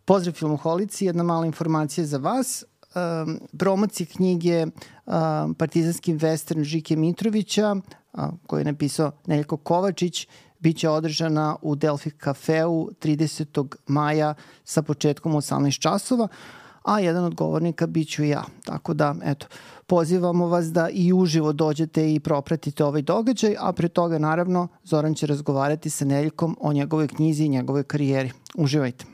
Pozdrav filmoholici, jedna mala informacija za vas. Promocija knjige Partizanski western Žike Mitrovića, koju je napisao Neljko Kovačić, biće održana u Delfi kafeu 30. maja sa početkom 18 časova, a jedan od govornika bit ću ja. Tako da, eto, pozivamo vas da i uživo dođete i propratite ovaj događaj, a pre toga, naravno, Zoran će razgovarati sa Neljkom o njegovoj knjizi i njegovoj karijeri. Uživajte.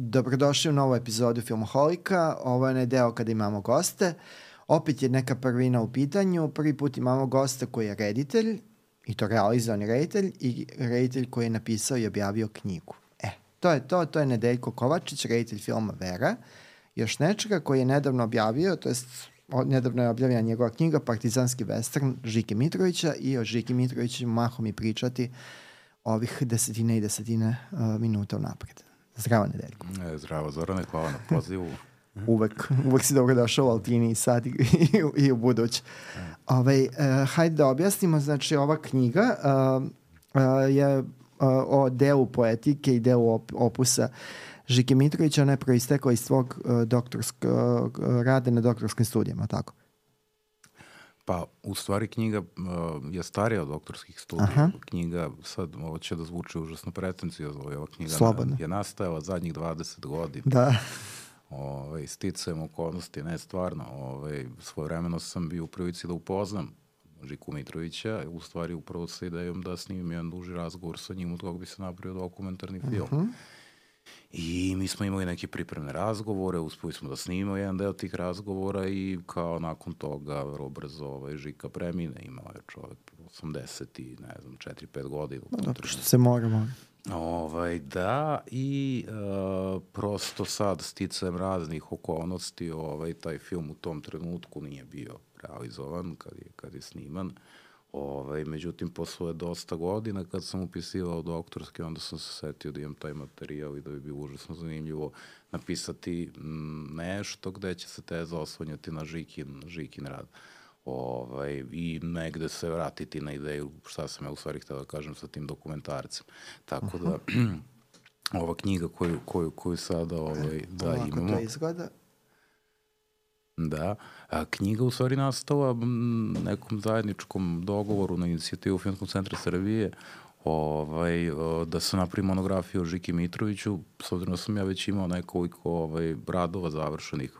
Dobrodošli u novu epizodu Filmoholika. Ovo je onaj deo kada imamo goste. Opet je neka prvina u pitanju. Prvi put imamo gosta koji je reditelj, i to realizovani reditelj, i reditelj koji je napisao i objavio knjigu. To je Nedeljko Kovačić, reditelj filma Vera. Još nečega koji je nedavno objavio, to jest nedavno je objavljena njegova knjiga Partizanski western Žike Mitrovića, i o Žiki Mitroviću mahom i pričati ovih desetine minuta unapred. Zdravo, Nedeljko. Zdravo, Zorane, hvala na pozivu. Uvek si dobro došao u Altini i sad i u budući. Hajde da objasnimo, znači ova knjiga je o delu poetike i delu opusa Žike Mitrovića. Ona je proistekla iz tvog doktorskog rada na doktorskim studijama, tako? Pa, u stvari knjiga je starija od doktorskih studija. Aha. Knjiga, sad ovo će da zvuči užasno pretencijozno, ova knjiga je nastajala zadnjih 20 godina. Da. Sticajem okolnosti, ne stvarno. Svojevremeno sam bio u prilici da upoznam Žiku Mitrovića, u stvari upravo sa idejom da snimim jedan duži razgovor sa njim, od koga bi se napravio dokumentarni film. I mi smo imali neke pripremne razgovore, uspeli smo da snimimo jedan deo tih razgovora i kao nakon toga vrlo brzo Žika premine, imao je čovek 80 i ne znam 4-5 godina. Dobro, što se mora. Da, i prosto sad sticajem raznih okolnosti taj film u tom trenutku nije bio realizovan kad je sniman. Međutim, posle dosta godina kad sam upisivao doktorski, onda sam se setio da imam taj materijal i da bi bilo užasno zanimljivo napisati nešto gde će se teza osvanjati na Žikin rad. I negde se vratiti na ideju šta sam ja u stvari htio da kažem sa tim dokumentarcem. Tako da, ova knjiga koju sada imamo... Ovako to izgleda. Da, knjiga u stvari nastala nekom zajedničkom dogovoru na inicijativu Filmskog centra Srbije da se napravi monografiju o Žiki Mitroviću, s obzirom da sam ja već imao nekoliko radova završenih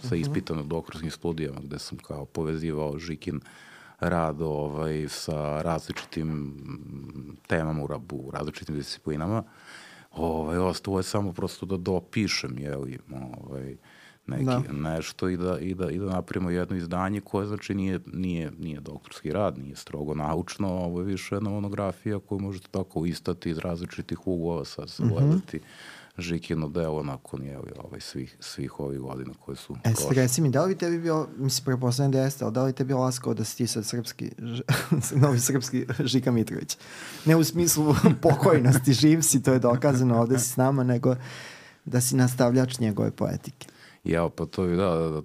sa ispitanom doktorskim studijama, gde sam kao povezivao Žikin rad sa različitim temama u različitim disciplinama. Ostalo je samo prosto da dopišem, nešto i da napravimo jedno izdanje koje znači nije doktorski rad, nije strogo naučno, ovo je više jedna monografija koju možete tako istati iz različitih uglova, sad se gledati Žikino delo nakon svih ovih godina koje su prošle. Reci mi, da li tebi bio, mislim preposlednje da jeste, ali da li tebi bio laskao da si ti sad novi srpski Žika Mitrović? Ne u smislu pokojnosti, živ si, to je dokazano, ovde si s nama, nego da si nastavljač njegove poetike. Pa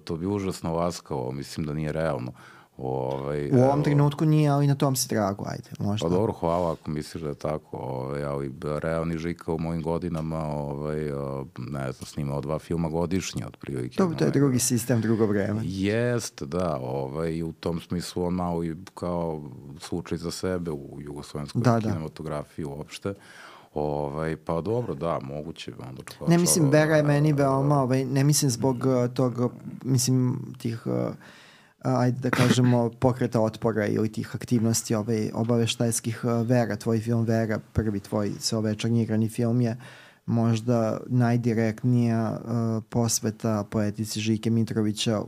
to bi užasno laskao, mislim da nije realno. U ovom trenutku nije, ali na tom si tragu, ajde, možda. Pa dobro, hvala ako misliš da je tako, ali realni Žika u mojim godinama, ne znam, snimao 2 filma godišnje, otprilike. To je drugi sistem, drugo vreme. Jeste, da, i u tom smislu on malo i kao slučaj za sebe u jugoslovenskoj kinematografiji uopšte. Pa dobro, da, moguće. Ne mislim, Vera je meni veoma, ne mislim zbog tog, mislim tih, ajde da kažemo, pokreta otpora ili tih aktivnosti obaveštajskih. Vera, tvoj film Vera, prvi tvoj celovečernji igrani film je možda najdirektnija posveta poetici Žike Mitrovića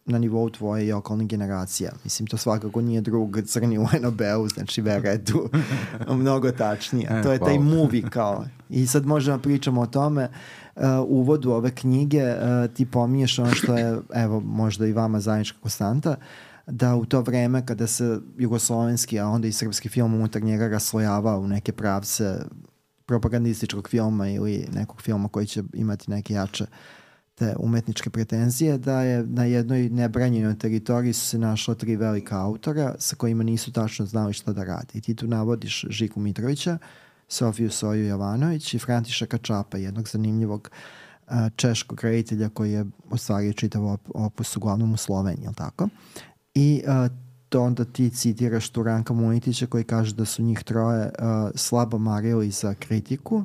na nivou tvoje i okolnih generacija. Mislim, to svakako nije drug crni u NOB-u, znači Vera je tu mnogo tačnija. To je taj movie kao. I sad možemo pričamo o tome. Uvodu ove knjige ti pominješ ono što je, evo, možda i vama zajednička konstanta, da u to vreme kada se jugoslovenski, a onda i srpski film unutar njega raslojava u neke pravce propagandističkog filma ili nekog filma koji će imati neke jače te umetničke pretenzije, da je na jednoj nebranjenoj teritoriji su se našla 3 velika autora sa kojima nisu tačno znali šta da rade. I ti tu navodiš Žiku Mitrovića, Sofiju Soju Jovanović i Františeka Čapa, jednog zanimljivog češkog reditelja koji je ostvario čitav opus uglavnom u Sloveniji, jel tako? I to onda ti citiraš tu Ranka Munitića koji kaže da su njih troje slabo marili za kritiku,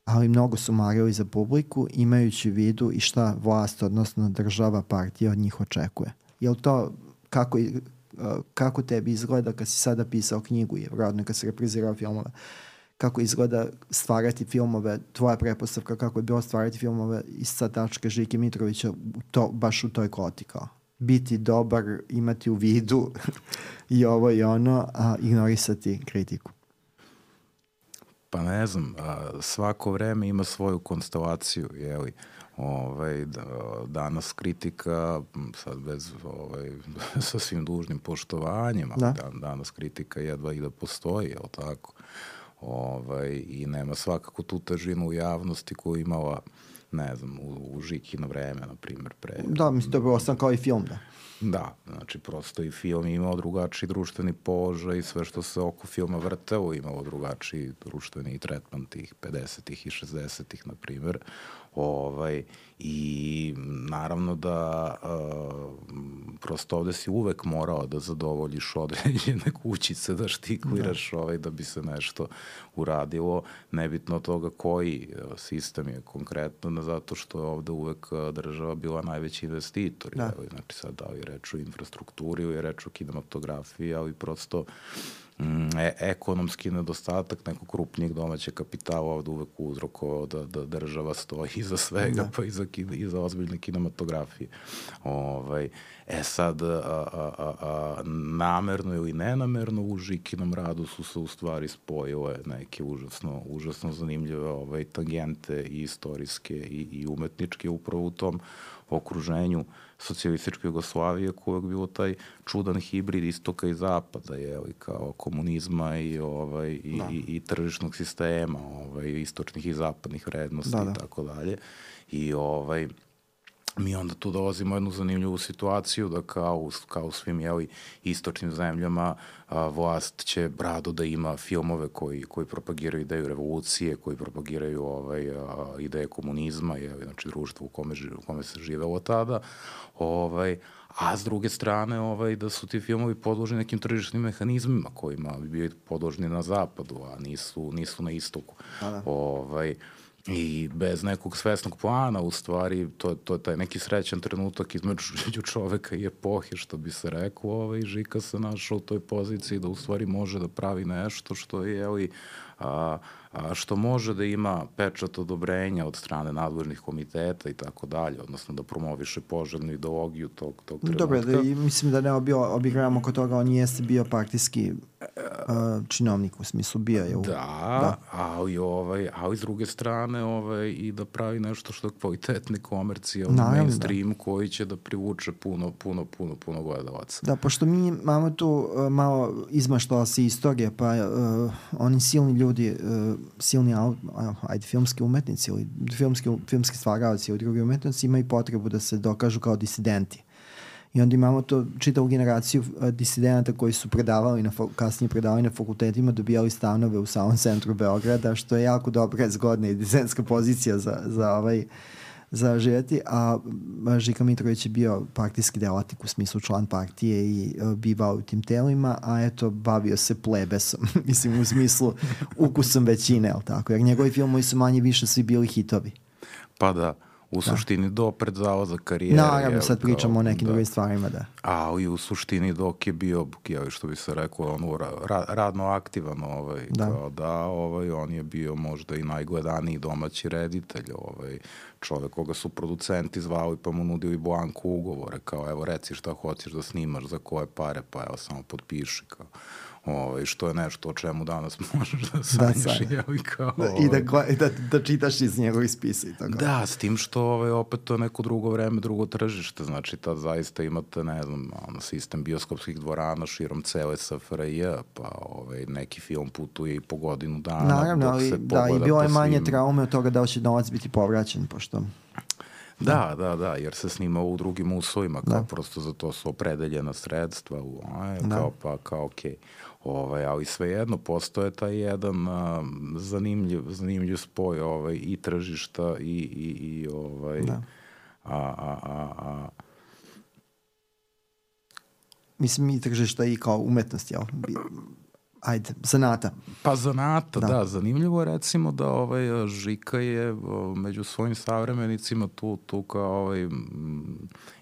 ali mnogo su marili za publiku, imajući u vidu i šta vlast, odnosno država, partija od njih očekuje. Jel to kako tebi izgleda kad si sada pisao knjigu i vjerojatno kad si reprizirao filmove, kako izgleda stvarati filmove, tvoja prepostavka kako je bilo stvarati filmove iz sa tačke Žike Mitrovića baš u toj kvoti kao biti dobar, imati u vidu i ovo i ono, a ignorisati kritiku? Pa ne znam, svako vreme ima svoju konstelaciju, jeli? Danas kritika, sad bez sa svim dužnim poštovanjem, ali danas kritika jedva i da postoji, jel tako? I nema svakako tu težinu u javnosti koju imala, ne znam, u Žikino vreme, na primjer, pre. Da, mislim, to je bilo sam kao i film, da. Da, znači prosto i film imao drugačiji društveni položaj i sve što se oko filma vrtelo imalo drugačiji društveni tretman tih 50-ih i 60-ih, na primjer. I naravno da prosto ovde si uvek morao da zadovoljiš određene kućice, da štikliraš da bi se nešto uradilo, nebitno od toga koji sistem je konkretno, zato što je ovde uvek država bila najveći investitor. Znači sad da li je reč o infrastrukturi ili je reč o kinematografiji, ali prosto ekonomski nedostatak nekog krupnijeg domaćeg kapitala ovde uvek uzrokovao da država stoji iza svega, pa iza ozbiljne kinematografije. Sad, namerno ili nenamerno u Žikinom radu su se u stvari spojile neke užasno zanimljive tangente i istorijske i umetničke upravo u tom okruženju socijalističke Jugoslavije koje je bilo taj čudan hibrid istoka i zapada, kao komunizma i tržišnog sistema, istočnih i zapadnih vrednosti i tako dalje. I mi onda tu dolazimo jednu zanimljivu situaciju da kao u svim istočnim zemljama vlast će rado da ima filmove koji propagiraju ideju revolucije, koji propagiraju ideje komunizma, znači društvo u kome se živelo tada, a s druge strane da su ti filmovi podloženi nekim tržišnim mehanizmima kojima bi bili podloženi na zapadu, a nisu na istoku. I bez nekog svesnog plana, u stvari, to je taj neki srećan trenutak između čoveka i epohe, što bi se reklo, i Žika se našao u toj poziciji da u stvari može da pravi nešto što je, što može da ima pečat odobrenja od strane nadležnih komiteta i tako dalje, odnosno da promoviše poželjnu ideologiju tog trenutka. Dobro, mislim da ne obigravamo kod toga, on jeste bio partijski činovnik, u smislu bio je. Da, ali s druge strane i da pravi nešto što je kvalitetni komercijalni mainstream koji će da privuče puno gledalaca. Da, pošto mi imamo tu malo izmaštala se istorija, pa oni silni ljudi, filmski umetnici ili filmski stvaralci ili drugi umetnici imaju potrebu da se dokažu kao disidenti. I onda imamo to čitavu generaciju disidenata koji su kasnije predavali na fakultetima, dobijali stanove u samom centru Beograda, što je jako dobra, zgodna i disidentska pozicija za živjeti, a Žika Mitrović je bio partijski delatnik u smislu član partije i bivao u tim telima, a bavio se plebesom, mislim u smislu ukusom većine, ali tako, jer njegovi filmovi su manje više svi bili hitovi. Pa da, u suštini do pred za karijere. Naravno, sad pričamo o nekim drugim stvarima, da. Ali u suštini dok je bio, što bi se reklo, radno aktivan, on je bio možda i najgledaniji domaći reditelj, čovek koga su producenti zvali pa mu nudili blanko ugovore, kao evo reci šta hoćeš da snimaš, za koje pare, pa evo samo potpiši, kao. Što je nešto o čemu danas možeš da sanjaš i da čitaš iz njegovih spisa i tako. Da, s tim što opet to je neko drugo vreme, drugo tržište, znači tad zaista imate, ne znam, sistem bioskopskih dvorana širom cele SFRJ, pa neki film putuje i po godinu dana. Naravno, ali da, i bilo je manje traume od toga da će novac biti povraćen, pošto Da, jer se snima u drugim uslovima, kao prosto za to su opredeljena sredstva, kao okej. Ali svejedno postoje taj jedan zanimljiv spoj i tržišta i mislim i tržišta i kao umetnost, jel? Zanata. Pa zanata, da. Zanimljivo je recimo da Žika je među svojim savremenicima tu kao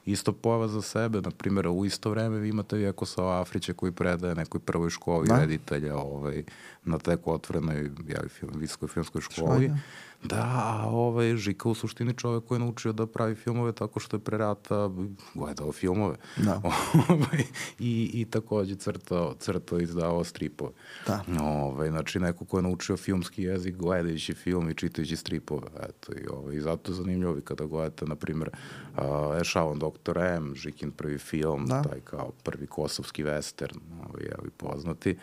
isto pojava za sebe. Naprimjer, u isto vreme vi imate Vjekoslava Afrića koji predaje nekoj prvoj školi reditelja na teko otvorenoj visokoj filmskoj školi. Da, Žika u suštini čovek koji je naučio da pravi filmove tako što je pre rata gledao filmove. Da. I takođe crtao i izdavao stripove. Da. Znači, neko ko je naučio filmski jezik gledajući film i čitajući stripove. Eto, i zato je zanimljivo kada gledate, na primjer, Ešalon Dr. M, Žikin prvi film, taj kao prvi kosovski western, poznati.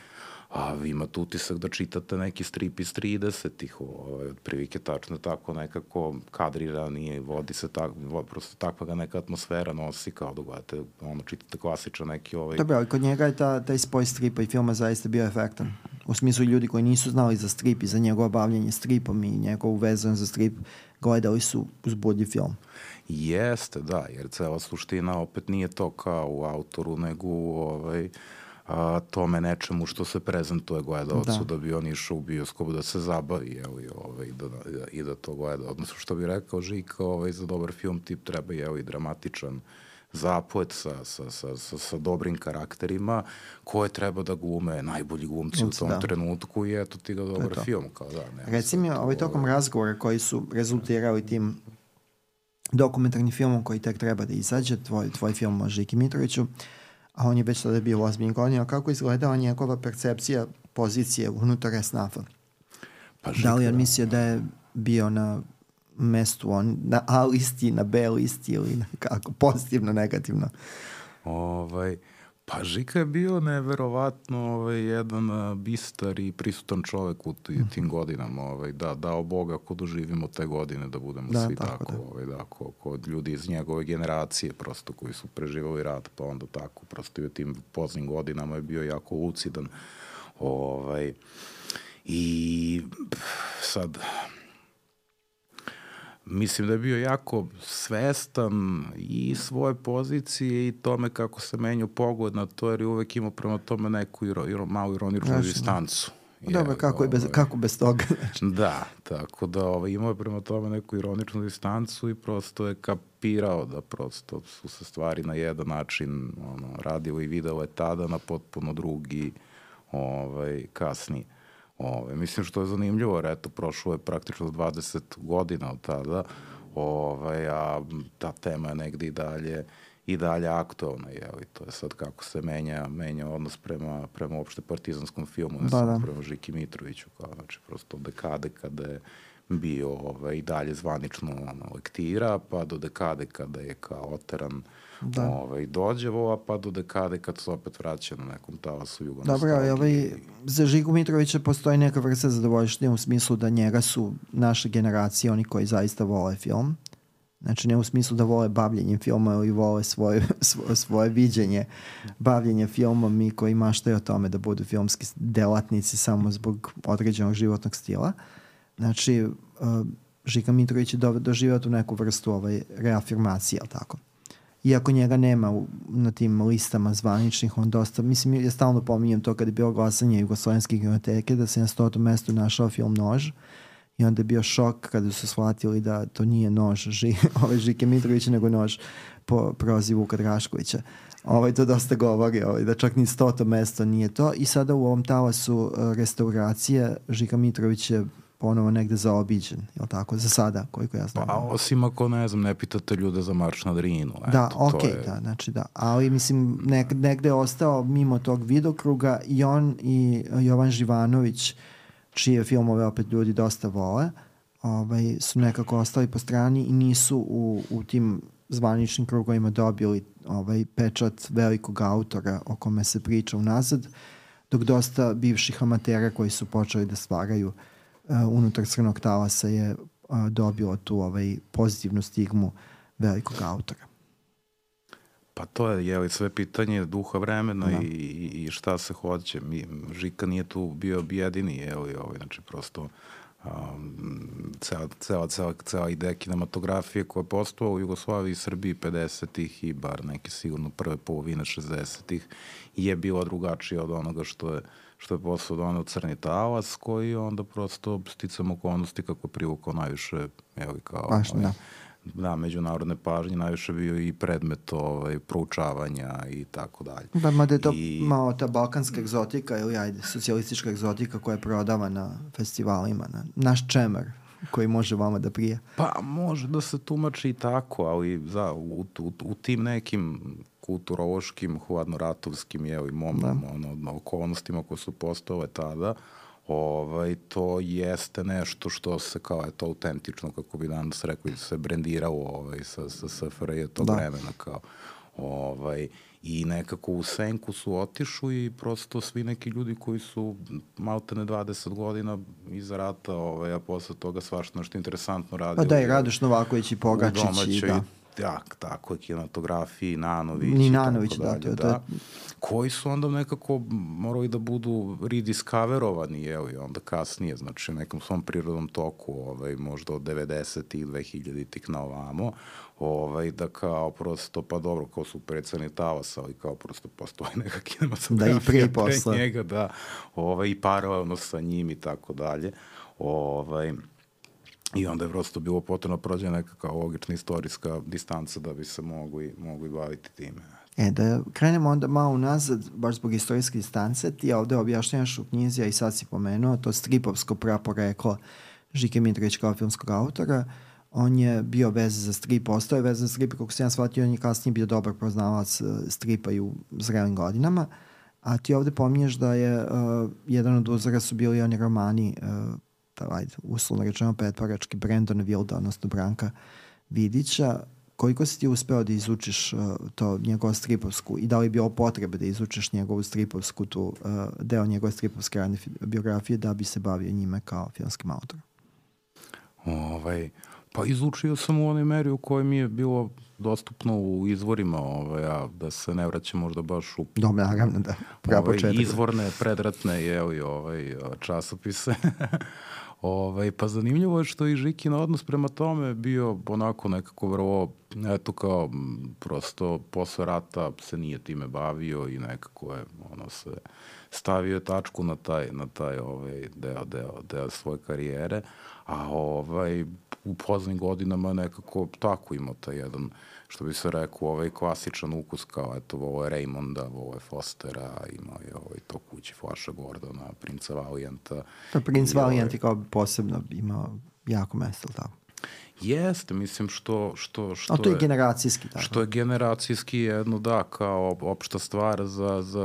A vi imate utisak da čitate neki strip iz 30-ih, otprilike tačno tako nekako kadrirani, vodi se tako, prosto takva ga neka atmosfera nosi, kao da gledate, čitate klasičan neki Dobro, ali kod njega je taj spoj stripa i filma zaista bio efektan. U smislu ljudi koji nisu znali za strip i za njegovo bavljanje stripom i njegovu vezan za strip, gledali su uzbudljiv film. Jeste, da, jer cela suština opet nije to kao u autoru, nego tome nečemu što se prezentuje gledalcu, da bi on išao u bioskop da se zabavi i da to gleda. Odnosno, što bi rekao Žika, za dobar film tip treba i dramatičan zaplet sa dobrim karakterima koje treba da glume najbolji glumci u tom trenutku i eto ti ga dobar film. Reci mi, tokom razgovora koji su rezultirali tim dokumentarnim filmom koji tek treba da izađe, tvoj film o Žiki Mitroviću, a on je već tada bio u ozbiljnim godinama, kako izgledala njegova percepcija pozicije unutar SNAF-a? Da li on mislio da je bio na mestu na A listi, na B listi ili kako, pozitivno, negativno? Pa Žika je bio neverovatno jedan bistar i prisutan čovek u tim godinama. Dao Boga ako doživimo te godine da budemo svi tako. Kod ljudi iz njegove generacije prosto koji su preživali rat, pa onda tako. Prosto i u tim poznim godinama je bio jako lucidan. I sad... Mislim da je bio jako svestan i svoje pozicije i tome kako se menjao pogled na to, jer je uvek imao prema tome neku malu ironičnu distancu. Dobro, kako bez toga? Da, tako da imao je prema tome neku ironičnu distancu i prosto je kapirao da prosto su se stvari na jedan način radile i videle tada na potpuno drugi kasnije. Mislim što je zanimljivo, jer eto, prošlo je praktično 20 godina od tada, a ta tema je negde i dalje aktualna, i to je sad kako se menja odnos prema uopšte partizanskom filmu, ne samo prema Žiki Mitroviću, znači prosto od dekade kada je bio i dalje zvanično lektira, pa do dekade kada je kao oteran dođevo, pa do dekade kad se opet vraća na nekom talasu jugonostalgije. Dobro, za Žiku Mitrovića postoji neka vrsta zadovoljština u smislu da njega su naše generacije, oni koji zaista vole film. Znači ne u smislu da vole bavljenjem filma ili vole svoje viđenje bavljenja filmom, mi koji maštaju o tome da budu filmski delatnici samo zbog određenog životnog stila. Znači, Žika Mitrović je doživio tu neku vrstu reafirmacije, ali tako. Iako njega nema na tim listama zvaničnih, on dosta, mislim, ja stalno pominjem to kad je bilo glasanje Jugoslovenske kinoteke, da se na 100. mestu našao film Nož i onda je bio šok kada su shvatili da to nije nož Žike Mitrovića, nego nož po prozivu Vuka Draškovića. To dosta govori, da čak ni 100. mesto nije to i sada u ovom talasu restauracije Žika Mitrović je ponovo negde zaobiđen, je li tako? Za sada, koliko ja znam. Pa osim ako, ne pitate ljude za Marš na Drinu. Da, znači da. Ali, mislim, negde je ostao mimo tog vidokruga i on i Jovan Živanović, čije filmove opet ljudi dosta vole, su nekako ostali po strani i nisu u tim zvaničnim krugovima dobili pečat velikog autora o kome se priča unazad, dok dosta bivših amatera koji su počeli da stvaraju unutar Crnog talasa je dobilo tu pozitivnu stigmu velikog autora. Pa to je sve pitanje duha vremena i šta se hoće. Žika nije tu bio jedini, znači prosto cela ideja kinematografije koja je postala u Jugoslaviji i Srbiji 50-ih i bar neke sigurno prve polovine 60-ih je bila drugačija od onoga što je postao donao Crni talas, koji onda prosto sticam okolnosti kako privukao najviše kao međunarodne pažnje, najviše bio i predmet proučavanja i tako dalje. Da, mada je to malo ta balkanska egzotika ili socijalistička egzotika koja je prodava na festivalima, naš čemer koji može vama da prije. Pa može da se tumači i tako, ali u tim nekim kulturološkim, hladnoratovskim okolnostima koje su postale tada, to jeste nešto što se kao je to autentično, kako bi danas rekli, se brendiralo sa SFRJ tog vremena kao i nekako u senku su otišli i prosto svi neki ljudi koji su maltene 20 godina iza rata, a posle toga svašta nešto interesantno radili. Pa da, i Radoš Novaković i Pogačić. U domaćoj, tako je, kinematografiji, Nanović i Nanović, da, koji su onda nekako morali da budu rediscoverovani, onda kasnije, znači nekom svom prirodnom toku, možda od 90-ih, 2000-ih na ovamo, da kao prosto, pa dobro, kao su Crni talas, ali kao prosto postoji neka kinematografija pre njega, i paralelno sa njim i tako dalje, i onda je prosto bilo potrebno prođe neka kao logična istorijska distanca da bi se mogli baviti time. Da krenemo onda malo unazad, baš zbog istorijske distance, ti ovde objašnjavaš u knjizi, a i sad si pomenuo, to stripovsko praporeklo Žike Mitrović kao filmskog autora. On je bio vezan za strip, ostao je vezan za strip, kako se ja shvatio, on je kasnije bio dobar poznavac stripa i u zrelim godinama, a ti ovde pominješ da je jedan od uzora su bili oni romani, uslovno rečeno pretvarački, Brandon Wilda, odnosno Branka Vidića. Koliko si ti uspeo da izučiš to njegovu stripovsku i da li je bilo potrebe da izučiš njegovu stripovsku, deo njegove stripovske radne biografije da bi se bavio njime kao filmskim autorom? Pa izučio sam u onoj meri u kojoj mi je bilo dostupno u izvorima, a da se ne vraćam možda baš u naravno, izvorne, predratne časopise. Pa zanimljivo je što i Žikin odnos prema tome bio onako nekako vrlo, kao prosto posle rata se nije time bavio i nekako je se stavio tačku na taj deo svoje karijere, a u poznim godinama nekako tako imao taj jedan, što bi se rekao, klasičan ukus kao, ovo je Raymonda, ovo je Fostera, imao je to Kući Flasha Gordona, Princa Valijanta. Princ Valijant je kao posebno imao jako mesto, tako? Jeste, mislim što a to je generacijski, tako? Što je generacijski jedno, kao opšta stvar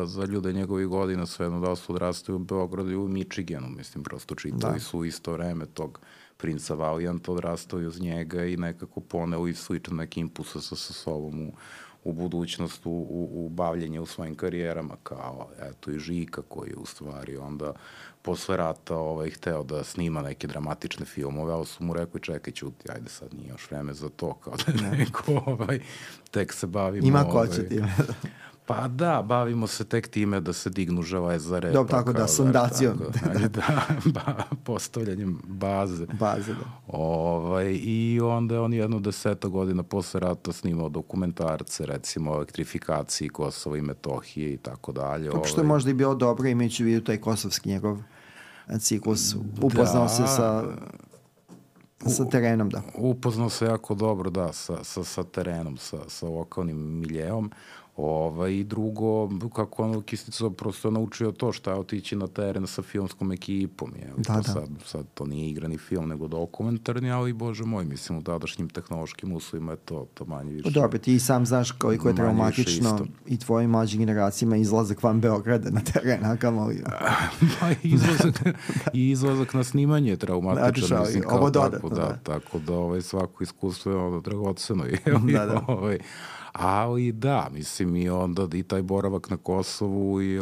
za ljude njegovih godina, sve jedno da su odrastaju u Beogradu i u Michiganu, mislim, prosto čitali su isto vreme tog Princa Valijanta, odrastao uz njega i nekako poneo i sličan neki impulsa sa sobom u budućnost, u bavljenje u svojim karijerama, kao i Žika koji je u stvari onda posle rata hteo da snima neke dramatične filmove, ali su mu rekli čekaj ćuti, ajde sad nije još vreme za to, kao da neko tek se bavimo. Ima ko će time. Pa da, bavimo se tek time da se dignu železare. Dobro, tako da, sondacijom. Postavljanjem baze. Baze, da. I onda je on 10 godina posle rata snimao dokumentarce, recimo o elektrifikaciji Kosova i Metohije i tako dalje. Kako što je možda i bilo dobro imajući u vidu taj kosovski njegov ciklus. Upoznao se sa terenom, da. Upoznao se jako dobro, da, sa terenom, sa lokalnim miljeom. I drugo, kako on Kistica prosto naučio to šta je otići na teren sa filmskom ekipom. Sad to nije igrani film, nego dokumentarni, ali bože moj, mislim, u tadašnjim tehnološkim uslovima je to manje više. Dobro, ti sam znaš koliko je traumatično i tvojim mlađim generacijama izlazak van Beograda na teren, a kamoli. Izlazak na snimanje je traumatičan, mislim, ovo dodatno. Tako da svako iskustvo je dragoceno. Ali da, mislim i onda i taj boravak na Kosovu i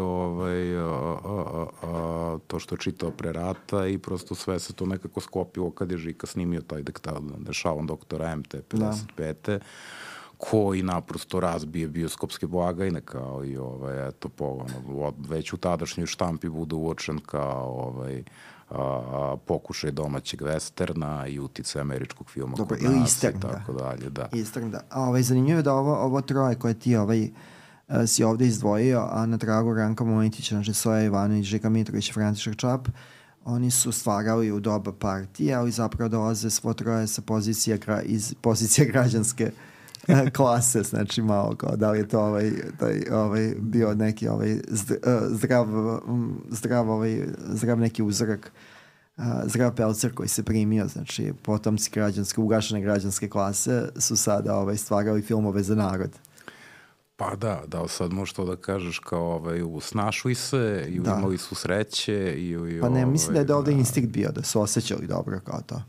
to što je čitao pre rata i prosto sve se to nekako skopilo kad je Žika snimio taj Dešavan doktora MT 55. Koji naprosto razbije bioskopske blagajne kao i eto već u tadašnjoj štampi bude uočen kao pokušaj domaćeg westerna i utice američkog filma kod nas i tako dalje. Da. Eastern, da. Zanimljivo je da ovo troje koje ti si ovde izdvojio, a na tragu Ranka Mojtića, znači Soja Ivanović, Žika Mitrović i František Čap, oni su stvarali u doba partije, ali zapravo dolaze svo troje sa iz pozicije građanske klase, znači malo kao da li je to bio neki zdrav neki uzorak, zdrav pelcer koji se primio, znači potomci ugašene građanske klase su sada stvarali filmove za narod. Pa da sad možeš to da kažeš kao snašli se i imali su sreće pa ne, mislim da je ovde instinkt bio, da su osjećali dobro kao to.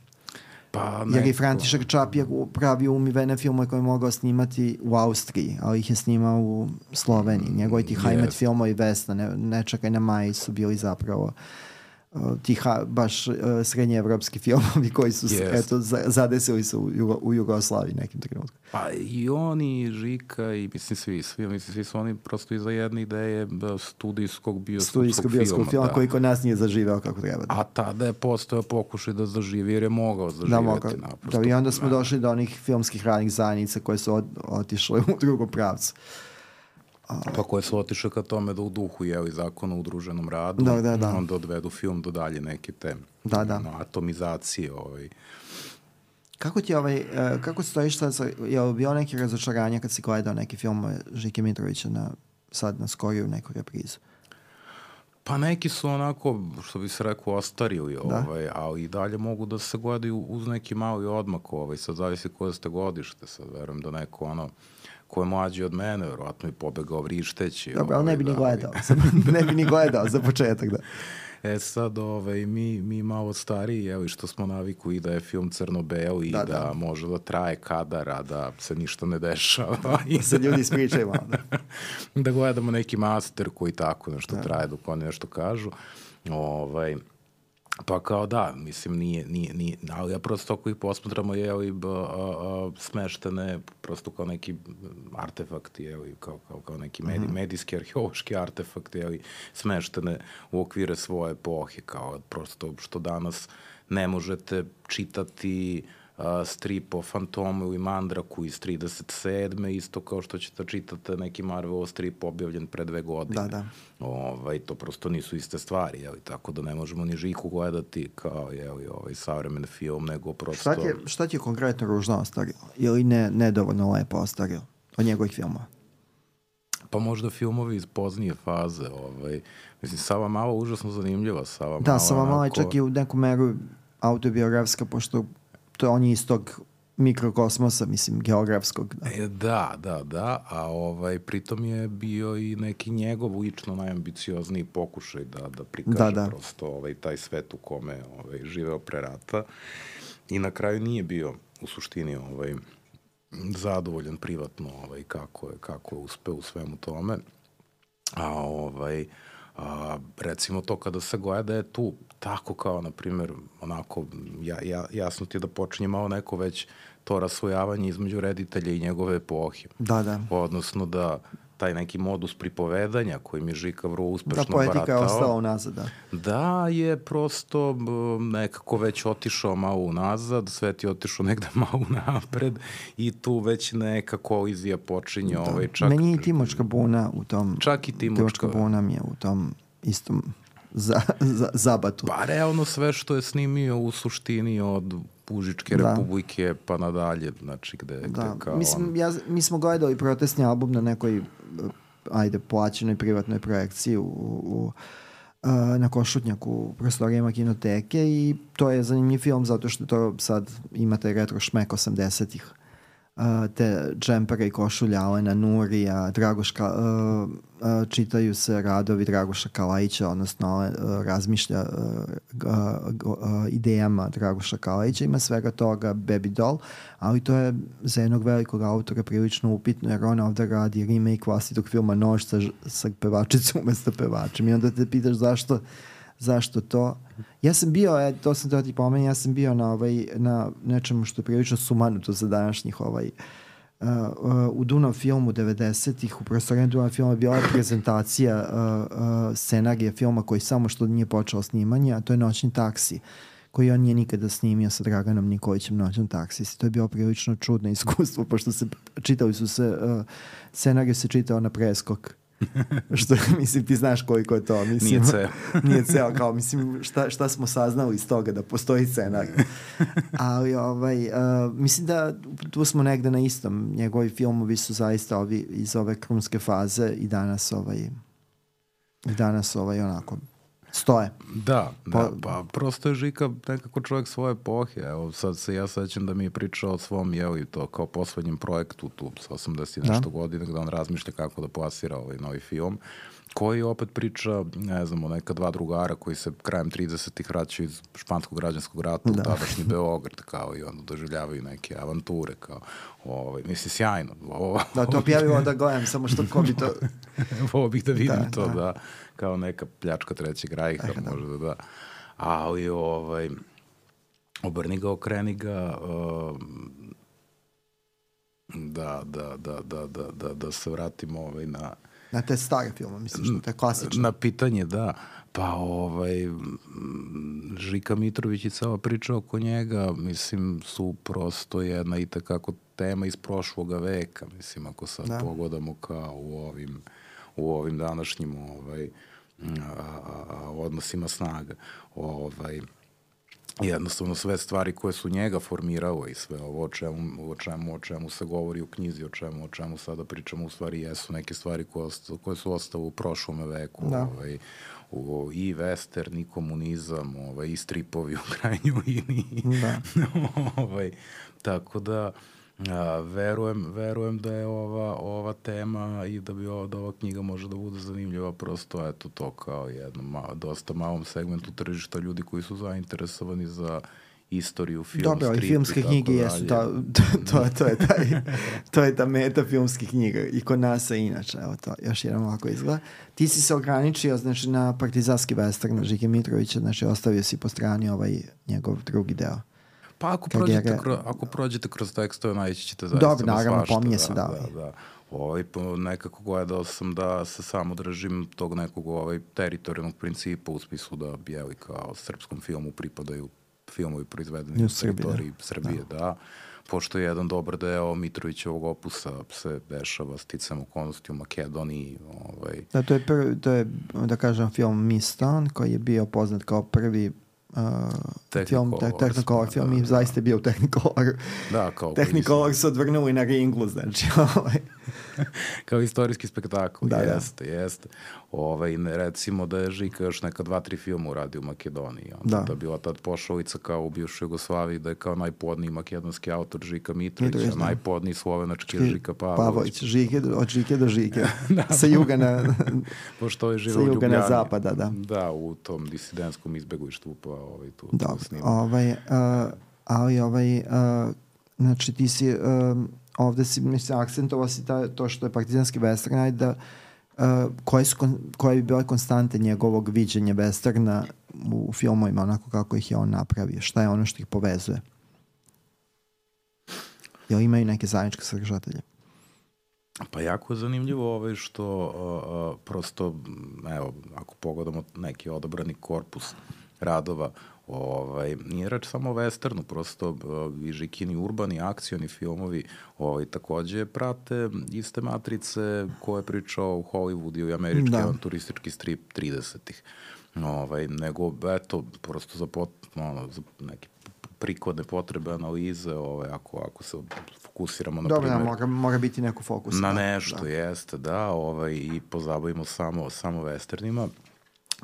Jer i František Čap je pravio umivene filmove koje je mogao snimati u Austriji, ali ih je snimao u Sloveniji. Njegovi ti Hajmet filmovi Vesna, ne čekaj na Maji su bili zapravo ti baš srednjeevropski filmovi koji su zadesili se u Jugoslaviji nekim trenutku. Pa i oni, Žika i mislim svi su oni prosto iza jedne ideje studijskog bioskopskog filma koji kod nas nije zaživeo kako treba. A tada je postojao pokušaj da zaživi jer je mogao zaživeti naprosto. I onda smo došli do onih filmskih radnih zajednica koje su otišle u drugom pravcu. Pa koje su otišle ka tome da u duhu zakona o udruženom radu, onda odvedu film do dalje neke te atomizacije. Kako ti kako stojiš sad, je li bio neki razočaranja kad si gledao neki film Žike Mitrovića sad na skoriju neku reprizu? Pa neki su onako, što bi se rekao, ostarili, ali i dalje mogu da se gledaju uz neki mali odmak, sad zavisi koje ste godište, sad verujem da neko ko je mlađi od mene, verovatno je pobegao vrišteći. Dobro, ali ne bi ni gledao za početak, da. Sad, mi malo stariji, što smo naviku i da je film crno-beo i da može da traje kadara, da se ništa ne dešava. Da se ljudi ispričaju malo. Da gledamo neki master koji tako nešto traje dok oni nešto kažu. Pa kao da, mislim, nije, ali ja prosto ako ih posmatramo, smeštene prosto kao neki artefakti, kao neki medijski, arheološki artefakti, smeštene u okvire svoje epohe, kao prosto što danas ne možete čitati strip o Fantomu ili Mandraku iz 37. isto kao što ćete čitati neki Marvelov strip objavljen pre 2 godine. To prosto nisu iste stvari, tako da ne možemo ni Žiku gledati kao savremen film, nego prosto... Šta ti je konkretno ružno ostavio? Ili nedovoljno lepo ostavio od njegovih filmova? Pa možda filmovi iz poznije faze. Mislim, Sava Mala užasno zanimljiva. Sava Mala je čak i u neku meru autobiografska, pošto on je iz tog mikrokosmosa, mislim, geografskog. Da, a pritom je bio i neki njegov lično najambiciozniji pokušaj da prikaže prosto taj svet u kome živeo pre rata i na kraju nije bio u suštini zadovoljan privatno kako je uspeo u svemu tome. Recimo to kada se gleda je tu tako kao, na primjer, onako, jasno ti je da počinje malo neko već to rasvojavanje između reditelja i njegove epohe. Odnosno da taj neki modus pripovedanja koji mi Žika vrlo uspešno baratao. Da, poetika je ostala unazad, Da, je prosto nekako već otišao malo unazad, svet je otišao negde malo napred i tu već neka kolizija počinje. Meni je i Timočka Buna u tom... Čak i Timočka Buna mi je u tom istom zabatu. Pa realno sve što je snimio u suštini od Užičke republike pa nadalje, znači gde kao... Mislim, mi smo gledali protestni album na nekoj plaćenoj privatnoj projekciji na Košutnjaku u prostorijama kinoteke i to je zanimljiv film zato što to sad ima taj retro šmek 80-ih. te džempere i košulje Alena Nurija, čitaju se radovi Dragoša Kalajića, odnosno razmišlja idejama Dragoša Kalajića, ima svega toga Baby Doll, ali to je za jednog velikog autora prilično upitno, jer on ovde radi remake vlastitog filma Nož sa pevačicom umesto pevačem i onda te pitaš zašto to. Ja sam bio, to sam da ti pomenuo, ja sam bio na nečemu što je prilično sumanuto za današnjih u Dunav filmu 90-ih, u prostorenju Dunav filma je bila prezentacija scenarija filma koji samo što nije počeo snimanje, a to je Noćni taksi, koji on nije nikada snimio sa Draganom Nikolićem, Noćnom taksi. To je bilo prilično čudno iskustvo, pošto scenarij se čitao na preskok. Što, mislim, ti znaš koliko je to. Mislim, nije ceo, kao, mislim, šta smo saznali iz toga da postoji scenarij. Ali, mislim da tu smo negde na istom. Njegovi filmovi su zaista ovi iz ove krunske faze i danas onako stoje. Da, pa prosto je Žika nekako čovjek svoje epohe. Evo, sad se ja sećam da mi je pričao o svom, i to kao poslednjem projektu tu sa 80 nešto godina, gde on razmišlja kako da plasira ovaj novi film, koji opet priča, ne znam, o neka dva drugara koji se krajem 30-ih vraćaju iz španskog građanskog rata u tadašnji Beograd, kao i onda doživljavaju neke avanture, kao, mislim, sjajno. Da, to objavimo da gledam, samo što ko bi to... Ovo bih da vidim da, kao neka pljačka trećeg rajha, možda da. Ali, obrni ga, okreni ga, da se vratimo na te stare filme, mislim, što je klasično. Na pitanje, da. Pa, Žika Mitrović i cela priča oko njega, mislim, su prosto jedna i takako tema iz prošloga veka, mislim, ako sad pogledamo kao u ovim današnjim odnosima snaga. Jednostavno sve stvari koje su njega formiralo i sve ovo o čemu se govori u knjizi, o čemu sada pričamo, u stvari jesu neke stvari koje su ostale u prošlom veku. I western, i komunizam, i stripovi u krajnjoj liniji. Tako da verujem da je ova tema i da ova knjiga može da bude zanimljiva, prosto eto to kao jednom dosta malom segmentu tržišta ljudi koji su zainteresovani za istoriju, film, dobro, strip i filmske knjige jesu, to je ta meta filmskih knjiga i kod nas je inače, evo to, još jedan ovako izgleda. Ti si se ograničio, znači, na partizanski western Žike Mitrovića, znači ostavio si po strani njegov drugi deo. Pa ako prođete kroz tekstove, naći ćete zaista dobro, naravno, pominje se, da. Nekako gledao sam da se samo držim tog nekog teritorijalnog principa u smislu da bijeli kao srpskom filmu pripadaju filmovi proizvedeni u teritoriji Srbije, da. Pošto je jedan dobar deo Mitrovićevog opusa se dešava sticam okolnosti u Makedoniji. Da, to je, da kažem, film Miston, koji je bio poznat kao prvi Technicolor film i zaista je bio Technicolor. Da, kao Technicolor se odvrnuli na ringlu, znači. Kao istorijski spektakl, jeste. Recimo da je Žika još neka 2-3 filma uradio u Makedoniji. Da je bila tad pošalica kao u bivšoj Jugoslaviji da je kao najpodniji makedonski autor Žika Mitrović, a najpodniji slovenački je Žika Pavlović. Od Žike do Žike. Sa juga na... Pošto je živo u Ljubljani. Na zapada, da. Da, u tom disidentskom izbeglištvu pa tu snima. Znači ti si ovde si, mislim, akcentovao si to što je partizanski western, da koje bi bile konstante njegovog viđenja westerna u filmovima, onako kako ih je on napravio, šta je ono što ih povezuje? Jel imaju neke zajedničke sadržatelje? Pa jako je zanimljivo što prosto, evo, ako pogledamo neki odabrani korpus radova, nije reč samo o westernu, prosto i Žikini urbani, akcioni filmovi takođe prate iste matrice koje pričao u Hollywoodu i američki avanturistički strip 30-ih. Nego, eto, prosto za neke prikladne potrebe analize, ako se fokusiramo na primjer... Dobro, mora biti neko fokus. Na nešto, jeste, da, i pozabavimo samo westernima.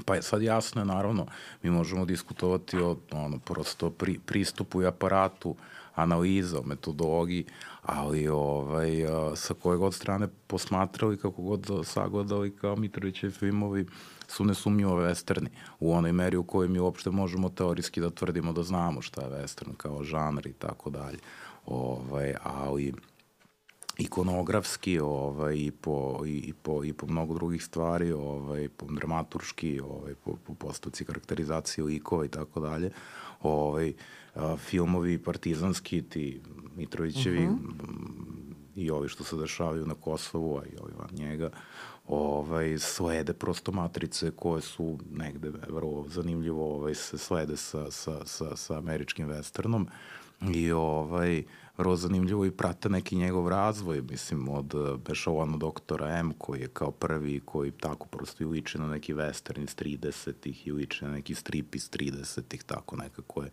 Pa je sad jasno je, naravno, mi možemo diskutovati o prosto pristupu i aparatu, analiza, o metodologiji, ali sa koje god strane posmatrali, kako god sagledali, kao Mitrovićevi filmovi su nesumnjivo westerni, u onoj meri u kojoj mi uopšte možemo teorijski da tvrdimo da znamo šta je western kao žanr i tako dalje. Ali ikonografski i po mnogo drugih stvari, po dramaturški, po postavci karakterizacije likova i tako dalje, filmovi partizanski, ti Mitrovićevi i ovi što se dešavaju na Kosovu, a i ovi van njega, slede prosto matrice koje su negde vrlo zanimljivo se slede sa američkim westernom i vrlo zanimljivo i prate neki njegov razvoj, mislim, od Bešovana doktora M, koji je kao prvi, koji tako prosto i liči na neki western iz 30-ih i liči na neki strip iz 30-ih, tako nekako je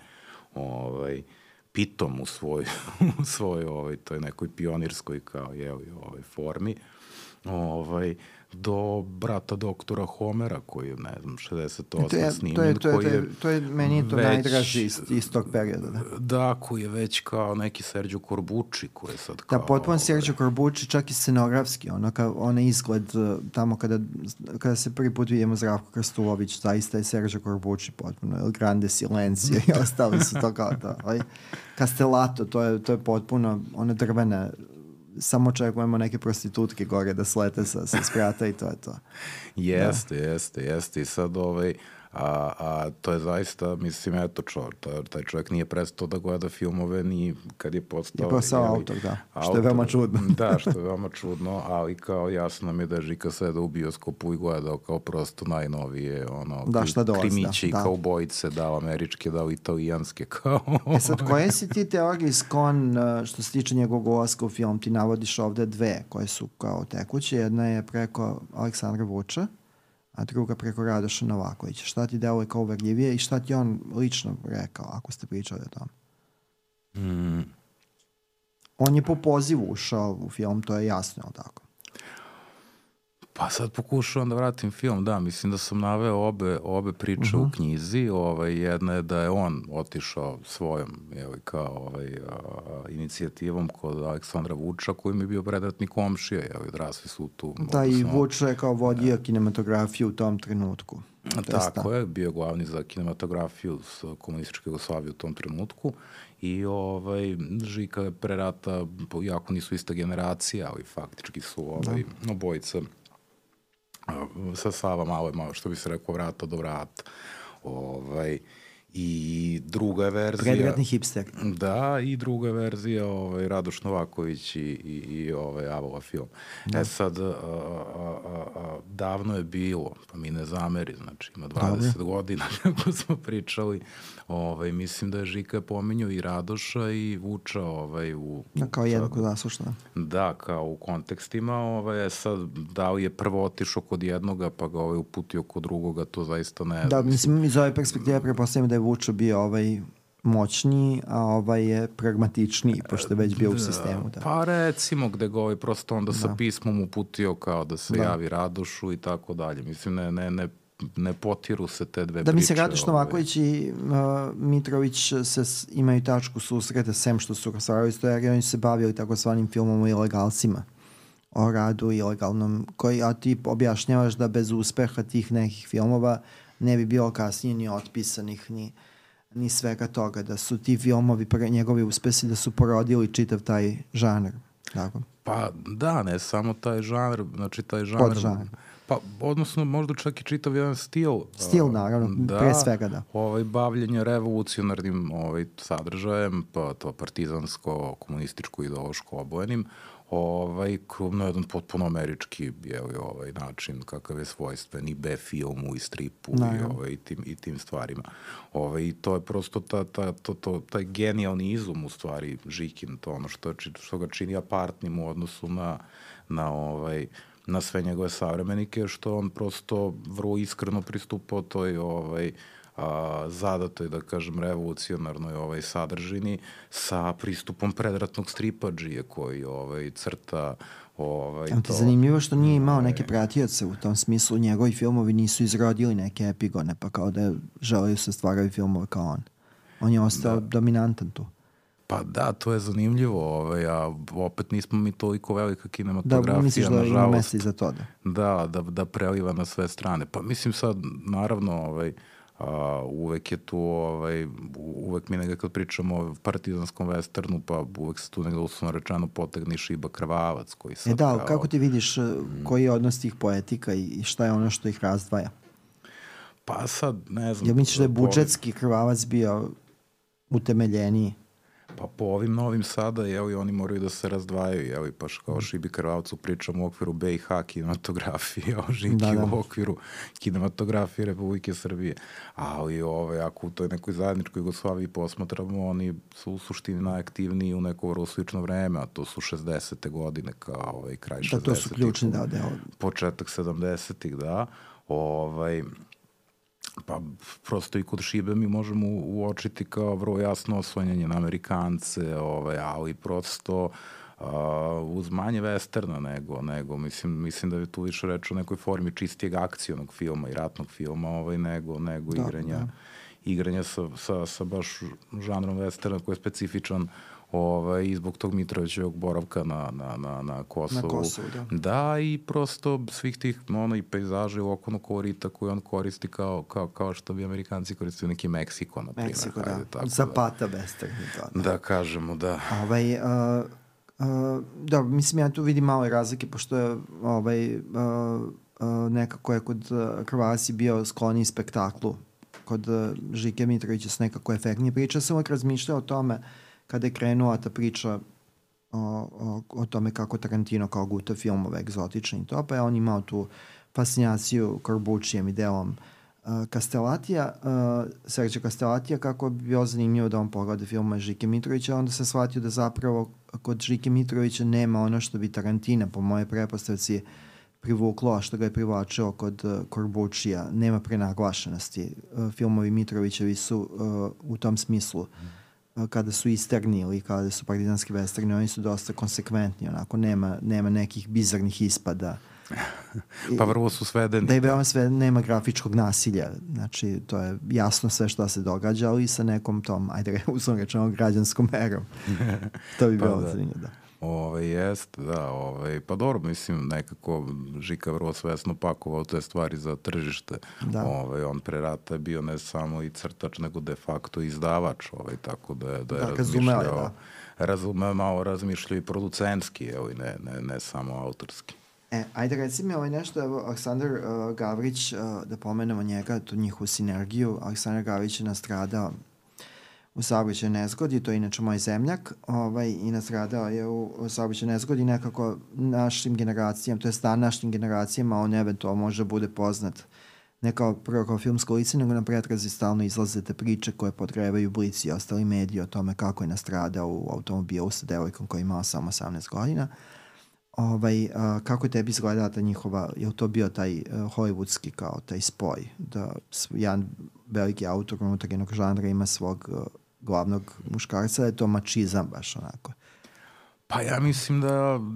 pitom u svojoj toj nekoj pionirskoj kao formi, do brata doktora Homera, koji je, ne znam, 68 snimljen, to je meni to najdraži iz tog perioda. Da, koji je već kao neki Sergio Corbucci, koji je sad kao... Da, potpuno Sergio Corbucci, čak i scenografski, onaj izgled tamo kada se prvi put vidimo Zdravko Krstulović, zaista je Sergio Corbucci potpuno, El Grande Silencio i ostali su to kao to. Castellato, to je potpuno ona drvena, samo očekujemo neke prostitutke gore da slete sa sprata i to je to. Jeste. I sad a to je zaista, mislim, eto, taj čovjek nije prestao da gleda filmove ni kad je postao... Je postao autor, da, što je veoma čudno. Da, što je veoma čudno, ali kao jasno nam je da je Žika seda u bioskopu i gledao kao prosto najnovije, krimiće i kao bojice, dao američke, dao italijanske, kao... Sad, koje si ti teorije sklon što se tiče njegovog ulaska u film? Ti navodiš ovde dve koje su kao tekuće, jedna je preko Aleksandra Vuča, a druga preko Radoša Novakovića. Šta ti deluje kao uverljivije i šta ti on lično rekao, ako ste pričali o tom? On je po pozivu ušao u film, to je jasno, ali tako? Pa sad pokušavam da vratim film, da, mislim da sam naveo obe priče u knjizi, jedna je da je on otišao svojom, kao inicijativom kod Aleksandra Vuča, koji mi je bio predratni komšija, odrasli su tu. Da, i Vuč je kao vodio kinematografiju u tom trenutku. Tako je, bio glavni za kinematografiju s komunističke Jugoslavije u tom trenutku i Žika pre rata, jako nisu ista generacija, ali faktički su obojica sa Sava malo, što bi se rekao, vrata do vrata. I druga je verzija... Predratni hipster. Da, i druga je verzija Radoš Novaković i Avola film. Sad, davno je bilo, pa mi ne zameri, znači ima 20 godina kako smo pričali, mislim da je Žika pominjao i Radoša i Vuča kao jednako zaslušno. Da, kao u kontekstima, sad da li je prvo otišao kod jednoga pa ga uputio kod drugoga, to zaista ne znam. Da, mislim, iz ove perspektive prepostavljam da je Vuča bio moćniji, a je pragmatičniji, pošto je već bio u sistemu. Da. Pa recimo gde ga prosto onda sa pismom uputio kao da se javi Radošu i tako dalje. Mislim, ne potiru se te dve priče. Da, mislim, Radoš Novaković i Mitrović imaju tačku susreta, sem što su raspravili istoriju, oni su se bavili takozvanim filmom o ilegalcima, o radu ilegalnom, a ti objašnjavaš da bez uspeha tih nekih filmova ne bi bilo kasnije ni otpisanih, ni svega toga, da su ti filmovi, njegovi uspesi, da su porodili čitav taj žanr. Tako? Pa da, ne samo taj žanr, znači taj žanr... Podžanr. Pa, odnosno, možda čak i čitav jedan stil. Stil, naravno, pre svega, da. Bavljenje revolucionarnim sadržajem, pa to partizansko, komunističko, ideološko obojenim, na jedan potpuno američki način, kakav je svojstven i B-filmu i stripu i tim stvarima. I to je prosto taj genijalni izum u stvari Žikin, to ono što ga čini apartnim u odnosu na sve njegove savremenike, što on prosto vrlo iskreno pristupao toj zadatoj, da kažem, revolucionarnoj sadržini sa pristupom predratnog stripadžije koji crta Ti zanimljivo što nije imao neke pratioce u tom smislu, njegovi filmovi nisu izrodili neke epigone, pa kao da želaju se stvaraju filmove kao on. On je ostao dominantan tu. Pa da, to je zanimljivo, a opet nismo mi toliko velika kinematografija, da, misliš da ima mesta i za to, da preliva na sve strane. Pa mislim sad, naravno, uvek je tu, uvek mi nekad pričamo o partizanskom westernu, pa uvek se tu nekada uslovno rečeno potegne Šiba Krvavac, koji sad da, kako ti vidiš koji je odnos tih poetika i šta je ono što ih razdvaja? Pa sad, ne znam. Jel misliš da je budžetski Krvavac bio utemeljeniji? Pa po ovim novim sada, oni moraju da se razdvajaju, pa kao Šibi Krvavcu pričamo u okviru BiH kinematografije, o Žiki u okviru kinematografije Republike Srbije. Ali ako u toj nekoj zajedničkoj Jugoslaviji posmatramo, oni su u suštini najaktivniji u neko vrlo slično vreme, a to su 60. godine, kao kraj 60. Da, to su ključni, početak 70. da. Pa prosto i kod Šibe mi možemo uočiti kao vrlo jasno oslanjanje na Amerikance, ali prosto uz manje westerna nego mislim da je tu više reč o nekoj formi čistijeg akcionog filma i ratnog filma nego igranja sa baš žanrom westerna koji je specifičan i zbog tog Mitrovićevog boravka na Kosovu. Na Kosovu, da. Da, i prosto svih tih i pejzaža i lokalnog kolorita koje on koristi kao što bi Amerikanci koristili neki Meksiko, na primjer. Meksiko, da. Zapata western. Da, kažemo, da. Da, mislim, ja tu vidim malo razlike, pošto je nekako je kod Krvasi bio skloniji spektaklu. Kod Žike Mitrovića su nekako efektnije priča. Sam uvijek razmišljao o tome kada je krenula ta priča o tome kako Tarantino kao guta filmove egzotični i to, pa je on imao tu fascinaciju Corbuccijem i delom Castellatija, Sergio Castellatija, kako bi bio zanimljivo da on pogleda filmove Žike Mitrovića, onda se shvatio da zapravo kod Žike Mitrovića nema ono što bi Tarantina, po moje pretpostavci, privuklo, a što ga je privlačilo kod Corbuccija. Nema prenaglašenosti. Filmovi Mitrovićevi su u tom smislu kada su isterni ili kada su partizanski westerni, oni su dosta konsekventni, onako nema nekih bizarnih ispada. Pa vrlo su svedeni. Da je veoma nema grafičkog nasilja, znači to je jasno sve što se događa, ali sa nekom tom, uzmano rečeno, građanskom merom. To bi bilo zanimljivo, da. Jest, da, pa dobro, mislim, nekako Žika vrlo svesno pakovao te stvari za tržište. On pre rata je bio ne samo i crtač, nego de facto izdavač, tako da je razmišljao, malo razmišljao i producentski, ne samo autorski. Ajde reci mi nešto, evo Aleksandar Gavrić, da pomenemo njega, tu njihovu sinergiju. Aleksandar Gavrić je nastradao u saobraćajnoj nezgodi, to je inače moj zemljak, i nastradao je u saobraćajnoj nezgodi nekako našim generacijama, to je današnjim generacijama, on eventualno može bude poznat ne prvo kao filmsko lice, nego na pretrazi stalno izlaze te priče koje podgrevaju Blic i ostali mediji o tome kako je nastradao u automobilu sa devojkom koja je imala samo 18 godina. Kako je tebi izgledala ta njihova, je li to bio taj hollywoodski kao taj spoj, da jedan veliki autor unutar jednog žanra ima svog glavnog muškarca, da je to mačizam baš onako? Pa ja mislim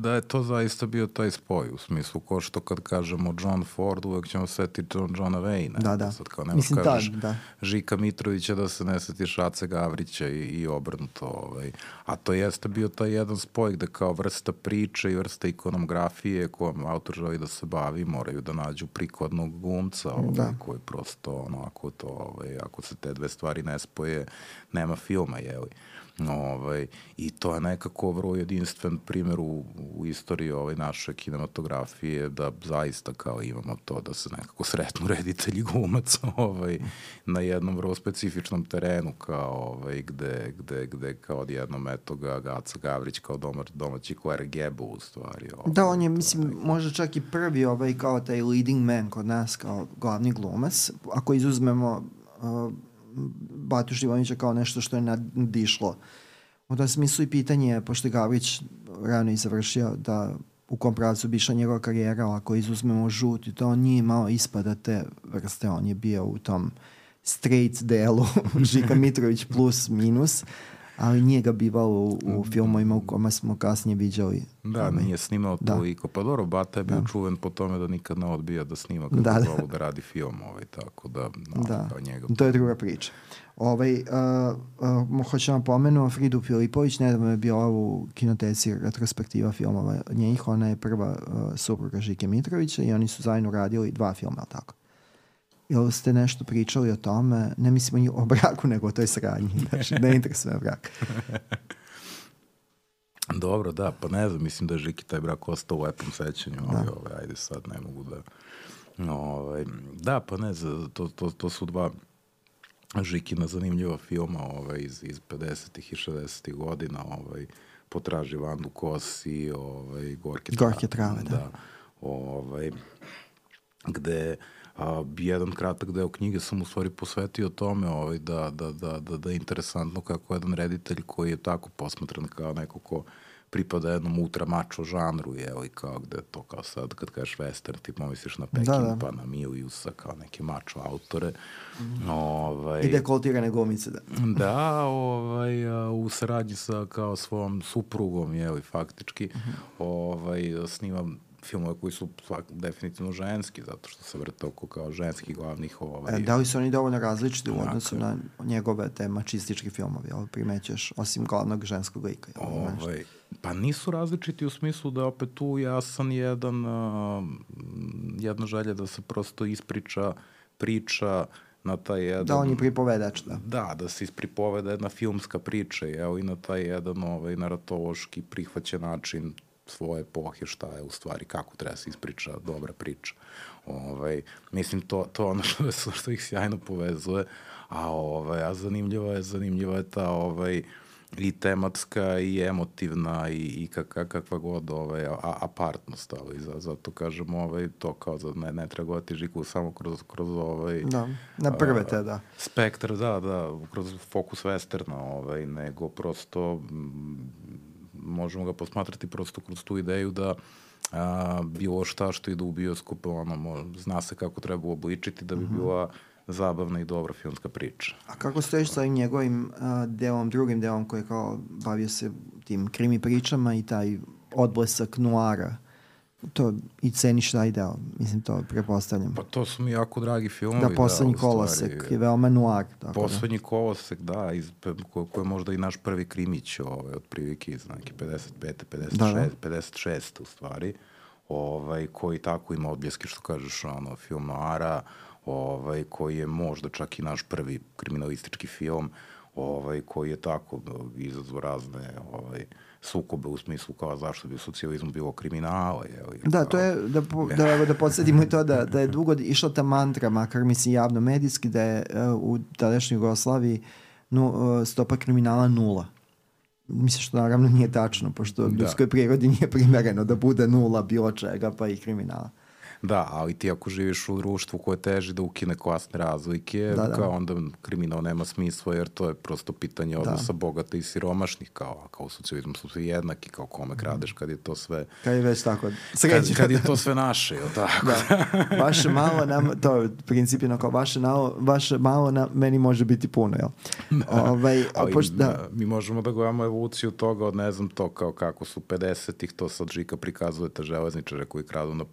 da je to zaista bio taj spoj, u smislu ko što kad kažemo John Ford, uvek ćemo setiti Johna Wayne. Da. Sad kao nemaš kažeš Žika Mitrovića da se ne setiš Ace Gavrića i obrnuto. A to jeste bio taj jedan spoj gde kao vrsta priče i vrsta ikonografije kojom autor želi da se bavi, moraju da nađu prikladnog glumca koji prosto ako se te dve stvari ne spoje, nema filma, jeli. I to je nekako vrlo jedinstven primjer u istoriji naše kinematografije, da zaista kao imamo to da se nekako sretnu reditelji glumac na jednom vrlo specifičnom terenu kao gde kao odjednom eto ga Aca Gavrić kao domaći Claire Gable u stvari. Da, on je mislim možda čak i prvi kao taj leading man kod nas kao glavni glumac, ako izuzmemo Batu Živonića kao nešto što je nadišlo. U tom smislu i pitanje, pošto je Gavrić rano i završio, da u kom pravcu bi išla njegova karijera, ako izuzmemo Žut i to, on nije imao ispada te vrste, on je bio u tom straight delu Žika Mitrović plus minus, ali nije ga bivalo u filmovima u kojima smo kasnije viđali. Da, nije snimao to i pa dobro, Bata je bio čuven po tome da nikad ne odbija da snima kako zovu da radi film, tako da njega... To je druga priča. Hoćemo pomenu Fridu Filipović, nedavno je bila u kinoteci retrospektiva filmova njih, ona je prva supruga Žike Mitrovića i oni su zajedno radili 2 filma, tako? Jel ste nešto pričali o tome? Ne mislimo o braku, nego o toj sradnji. Znači, ne interesuje brak. Dobro, da, pa ne znam, mislim da je Žiki taj brak ostao u lepom sećanju, ali ajde sad, ne mogu da... Da, pa ne znam, to su 2 Žikina zanimljiva filma iz 50-ih i 60-ih godina, Potraži Vandu Kos i Gorke trave, da. Gde jedan kratak deo knjige sam u stvari posvetio tome da je interesantno kako jedan reditelj koji je tako posmatran kao neko ko pripada jednom ultra mačo žanru, i kao gde to kao sad kad kažeš western, ti pomisliš na Pekin, pa na Miliusa, kao neke mačo autore. I dekoltirane glumice, da. Da, u saradnji sa kao svom suprugom, faktički, snimam filmove koji su definitivno ženski, zato što se vrte oko kao ženskih glavnih... Da li su oni dovoljno različiti u odnosu na njegove te mačističke filmove, ali primećuješ, osim glavnog ženskog lika? Pa nisu različiti u smislu da opet tu jasan jedna želja da se prosto ispriča priča na taj jedan... Da, on je pripovedač, da. Da se ispripoveda jedna filmska priča, i na taj jedan naratološki prihvaćen način svoje epohe, šta je u stvari, kako treba se ispriča dobra priča. Mislim, to ono što ih sjajno povezuje, a zanimljiva je ta i tematska i emotivna i kakva god apartnost, ali zato kažem to kao ne treba gledati Žiku samo kroz na prve te, da. Spektar, da, kroz fokus westerna, nego prosto možemo ga posmatrati prosto kroz tu ideju da bilo šta što ide u bioskop, zna se kako treba uobličiti da bi bila zabavna i dobra filmska priča. A kako stojiš sa ovim njegovim drugim delom koji je kao bavio se tim krimi pričama i taj odblesak noara? To i ceniš taj deo, mislim, to prepostavljam. Pa to su mi jako dragi filmovi. Da, Poslednji kolosek je veoma noir. Poslednji kolosek, da, koji je možda i naš prvi krimić, otprilike iz neke 55. 56. u stvari, koji tako ima odbljeske, što kažeš, film noara, koji je možda čak i naš prvi kriminalistički film, koji je tako izazvao razne sukobe u smislu kao zašto bi u socijalizmu bilo kriminala. Da, to je, da podsjetimo i to da je dugo išla ta mantra, makar mislim javno medijski, da je u tadašnjoj Jugoslaviji stopa kriminala 0. Mislim što naravno nije tačno, pošto ljudskoj prirodi nije primereno da bude 0 bilo čega, pa i kriminala. Da, ali ti ako živiš u društvu koje teži da ukine klasne razlike, kao onda kriminal nema smisla, jer to je prosto pitanje odnosa bogata i siromašnih, kao u socijalizmu su svi jednaki, kao kome kradeš kad je to sve... Kad je već tako sređeno. Kad je to sve naše, jel tako? Vaše malo nam, to je principino kao vaše malo meni može biti puno, jel? Mi možemo da gledamo evoluciju toga od, ne znam, to kao kako su 50-ih, to sad Žika prikazuje te železničare koji kradu na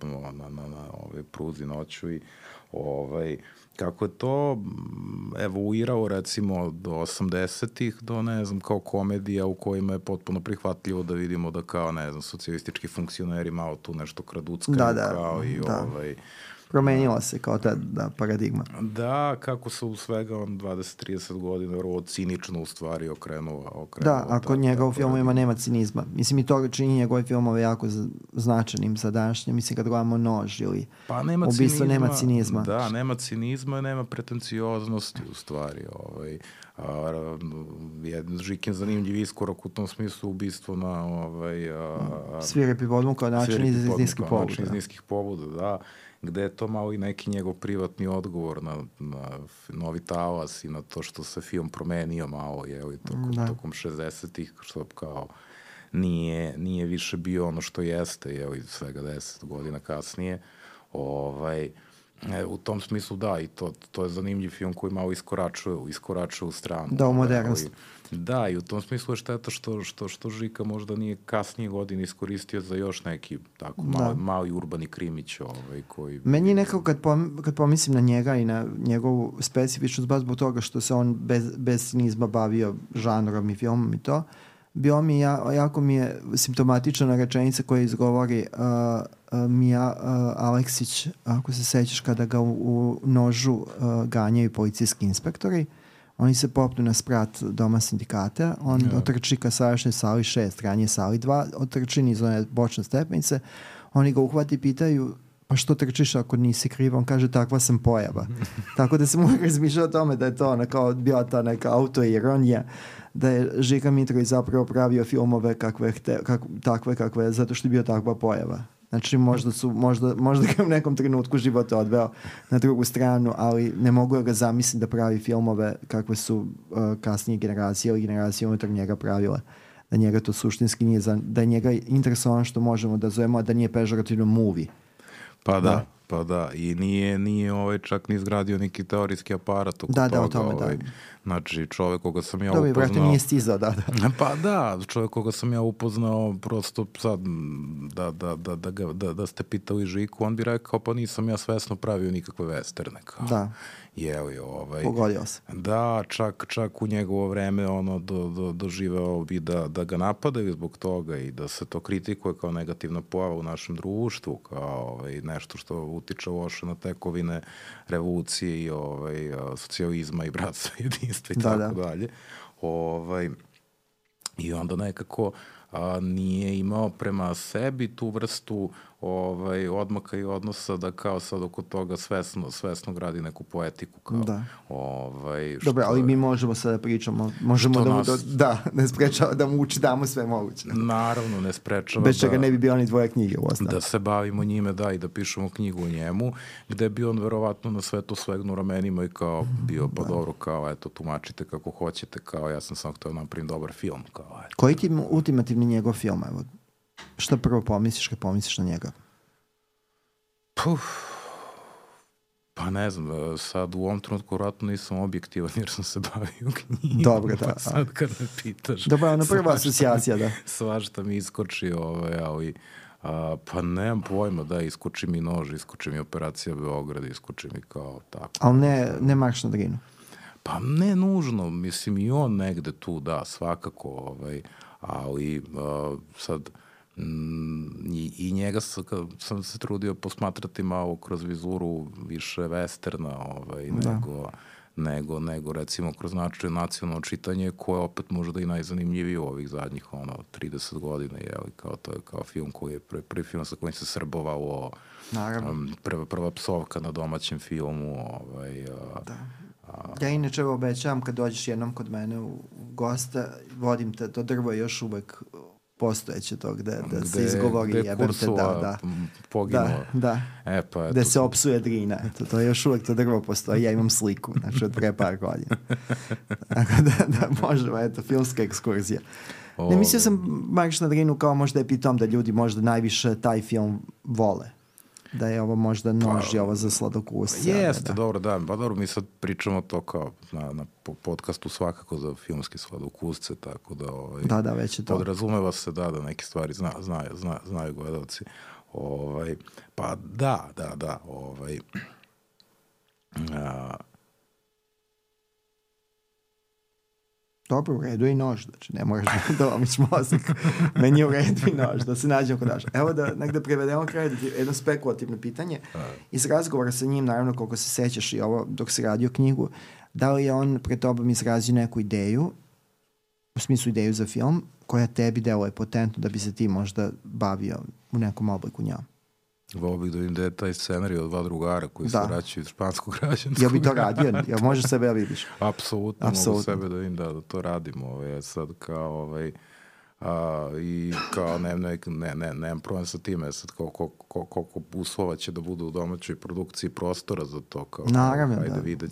pruzi noću i kako je to evoluirao recimo do 80-ih do, ne znam, kao komedija u kojima je potpuno prihvatljivo da vidimo da kao, ne znam, socijalistički funkcioneri malo tu nešto kraduckaju kao i promenila se kao ta paradigma. Da, kako se u svega 20-30 godina vrlo cinično u stvari okrenuo. Da, ako njega u filmovima nema cinizma. Mislim i to čini njegove filmove jako značajnim za današnje. Mislim kad gledamo Nož ili ubistvo nema cinizma. Da, nema cinizma, nema pretencioznosti u stvari. Žikin zanimljiv iskorak u tom smislu ubistvo na Svirepi podmuk kao način iz niskih pobuda, da. Gde je to malo i neki njegov privatni odgovor na Novi talas i na to što se film promenio malo, tokom 60-ih, što kao nije više bio ono što jeste, svega 10 godina kasnije. U tom smislu da, i to je zanimljiv film koji malo iskoračuje u stranu. Da, u modernost. Da, i u tom smislu je šteta što Žika možda nije kasnije godine iskoristio za još neki tako mali urbani krimić koji... Meni je nekako kad pomislim na njega i na njegovu specifičnost, baš zbog toga što se on bez cinizma bavio žanrom i filmom i to, jako mi je simptomatična rečenica koja izgovori Mija Aleksić, ako se sećaš, kada ga u nožu ganjaju policijski inspektori. Oni se popnu na sprat doma sindikata, on otrči ka sadašnjoj sali 6, ranije sali 2, otrči niz one bočne stepenice, oni ga uhvati i pitaju pa što trčiš ako nisi kriv, on kaže takva sam pojava. Tako da se mogu razmišljati o tome da je to bila ta neka autoironija, da je Žika Mitrović zapravo pravio filmove takve kakve, zato što je bio takva pojava. Znači možda ga u nekom trenutku života odveo na drugu stranu, ali ne mogu ga zamisliti da pravi filmove kakve su kasnije generacije ili generacije unutar njega pravile. Da njega to suštinski nije, da je njega interesovano što možemo da zovemo, da nije pežorativno movie. Pa da, i nije čak ni izgradio neki teorijski aparat oko toga. O tome, da. Znači, čovjek koga sam ja upoznao... Vrati nije stizao, da. Pa da, čovjek koga sam ja upoznao, prosto sad, da ste pitali Žiku, on bi rekao, pa nisam ja svesno pravio nikakve westerne. Da. Pogodio se. Da, čak u njegovo vreme doživeo bi da ga napadaju zbog toga i da se to kritikuje kao negativna pojava u našem društvu, kao nešto što utiče loše na tekovine revolucije i socijalizma i bratstva i jedinstva i tako dalje. I onda nekako nije imao prema sebi tu vrstu odmaka i odnosa da kao sad oko toga svesno gradi neku poetiku. Dobro, ali mi možemo sad da pričamo, ne sprečava da mu damo sve moguće. Naravno, ne sprečava. Bez čega ne bi bilo ni dvoje knjige. Da se bavimo njime, i da pišemo knjigu o njemu, gde bi on verovatno na sve to svegnu ramenima i kao bio, pa dobro, kao eto, tumačite kako hoćete, kao ja sam samo htio napravim dobar film. Koji ti ultimativni njegov film, evo? Šta prvo pomisliš kad pomisliš na njega? Pa ne znam, sad u ovom trenutku vratno nisam objektivan jer sam se bavio knjigom. Dobro, da. Pa sad kada me pitaš... Dobro, ono prva asocijacija, da. Svašta mi iskoči, ali... Pa nemam pojma, iskoči mi nož, iskoči mi Operacija Beograd, iskoči mi kao tako. Ali ne Marš na Drinu? Pa ne nužno, mislim i on negde tu, svakako, ali sad i njega sam se trudio posmatrati malo kroz vizuru više westerna nego recimo kroz nacionalno čitanje koje opet možda i najzanimljivije u ovih zadnjih 30 godina, to je kao film koji je prvi film sa kojim se srbovalo, prva psovka na domaćem filmu. Ja inače obećavam kad dođeš jednom kod mene u gosta, vodim te, to drvo je još uvek postojeće to gde se izgovori jeberte, poginuo. Da. Gde se opsuje Drina. To je još uvek to drvo postoji. Ja imam sliku, znači od pre par godina. Tako da možemo, filmska ekskurzija. Ne, mislio sam Marš na Drinu kao možda je pitom da ljudi možda najviše taj film vole. Da je ovo možda nož ovo za sladokusce. Jeste, dobro, pa dobro, mi sad pričamo to kao na podcastu svakako za filmske sladokusce, tako da već je to. Podrazumeva se da neke stvari znaju gledalci. Pa da. Dobro, u redu je i nož, znači ne moraš da lomiš mozak. Meni je u redu i nož, da se nađemo kod naša. Evo da negde prevedemo kraj, jedno spekulativno pitanje. Iz razgovora sa njim, naravno, koliko se sećaš i ovo dok si radio knjigu, da li je on pred tobom izrazio neku ideju, u smislu ideju za film, koja tebi deluje potentno da bi se ti možda bavio u nekom obliku njom? Volio bih da vidim da je taj scenarij od dva drugara koji se vraćaju iz španskog građanskog. Jel bi to radio? Jel možeš sebe da vidiš? Apsolutno mogu sebe da vidim da to radimo. Sad kao i kao nemam problem sa time. Sad koliko uslova će da budu u domaćoj produkciji prostora za to. Naravno,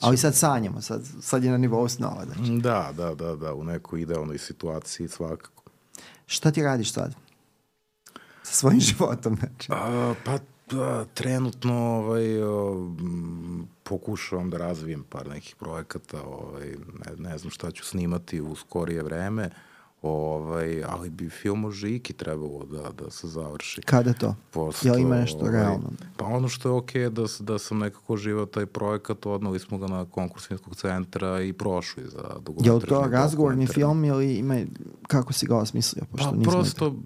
ali sad sanjamo. Sad je na nivou snova. Da, u nekoj idealnoj situaciji svakako. Šta ti radiš sad? Sa svojim životom, znači. Pa Da, trenutno pokušavam da razvijem par nekih projekata, ne znam šta ću snimati u skorije vreme, ali bi film o Žiki trebalo da se završi. Kada to? Jel ima nešto realno? Pa ono što je okej da sam nekako živao taj projekat, odnali smo ga na konkurs Filmskog centra i prošli za dokumentarni. Je li to razgovorni film ili ima, kako si ga osmislio? Pa prosto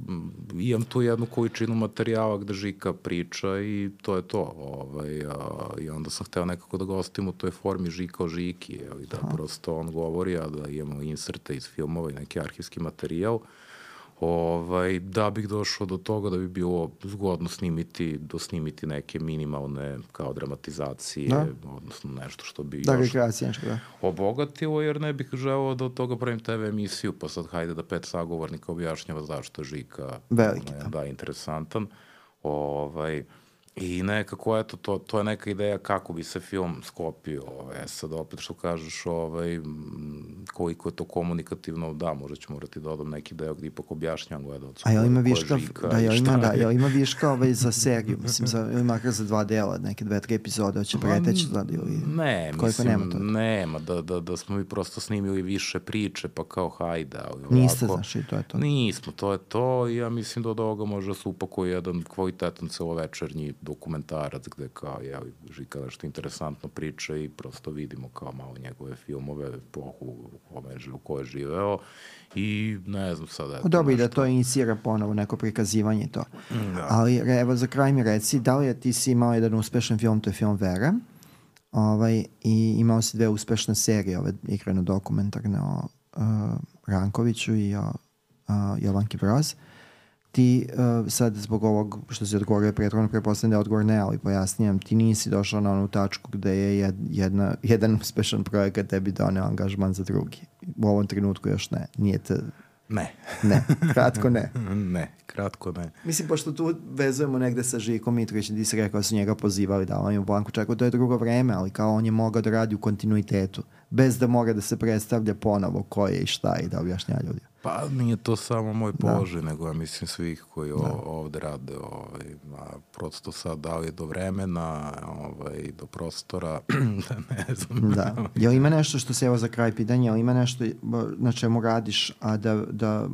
imam tu jednu količinu materijala gde Žika priča i to je to. I onda sam hteo nekako da gostim u toj formi Žika o Žiki, da prosto on govori, a da imamo inserte iz filmova i neki arhivski materijal, da bih došao do toga da bi bilo zgodno snimiti neke minimalne kao dramatizacije, odnosno nešto što bi još obogatilo, jer ne bih želeo da od toga pravim TV emisiju, pa sad hajde da 5 sagovornika objašnjava zašto je Žika interesantan. I nekako, eto, to je neka ideja kako bi se film sklopio. Sad opet što kažeš, koliko je to komunikativno, da, možda ću morati da dodam neki deo gde ipak objašnjam gledalcu ko je Žika i šta je. Jel ima viška za seriju, mislim, ili makar za 2 dela, neke 2-3 epizode, hoće preteći sad ili... Ne, mislim, nema, da smo mi prosto snimili više priče, pa kao hajde, ali ovako... Niste, znaš, i to je to. Nismo, to je to, i ja mislim da od ovoga može se upakuje jedan kvalitetan celovečernji dokumentarac gde kao Žika nešto interesantno priča i prosto vidimo kao malo njegove filmove, epohu u kojoj je živeo i ne znam sada... Dobro, i da to inicira ponovo neko prikazivanje to. Ali evo za kraj mi reci, da li ti si imao jedan uspešan film, to je film Vera, i imao si 2 uspešne serije, igrano dokumentarne o Rankoviću i o Jovanki Broz. Ti sad zbog ovog što si odgovorio prethodno, pretpostavljam da je odgovor ne, ali pojasnijem, ti nisi došao na onu tačku gde je jedan uspešan projekat tebi doneo angažman za drugi. U ovom trenutku još ne. Nije te... Ne. Ne, kratko ne. Ne, kratko ne. Mislim, pošto tu vezujemo negde sa Žikom Mitrovićem, ti si rekao da su njega pozivali, da on je u Blanku čekao, to je drugo vreme, ali kao on je mogao da radi u kontinuitetu, bez da mora da se predstavlja ponovo ko je i šta i da objašnja ljudi. Pa nije to samo moj položaj, nego ja mislim svih koji ovde rade, prosto sad da li do vremena, do prostora, ne znam. Da. Jel ima nešto što se, evo za kraj pitanja, jel ima nešto na čemu radiš, a da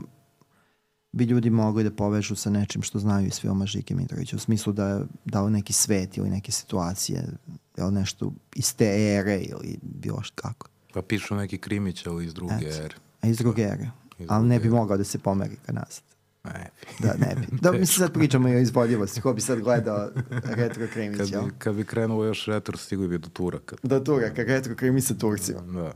bi ljudi mogli da povežu sa nečim što znaju iz filma Žike Mitrovića, u smislu da li neki svet ili neke situacije, jel nešto iz te ere ili bilo što kako? Pa pišu neki krimić, ali iz druge ere. A iz druge ere. Ali ne bi mogao da se pomeri ka nazad. Ne bi. Da, ne bi. Da, mi se sad pričamo i o izvodljivosti. Ko bi sad gledao retro krimić, jel? Kad bi krenulo još retro, stigli bi do Turaka. Do Turaka, retro krimić sa Turcima. Da.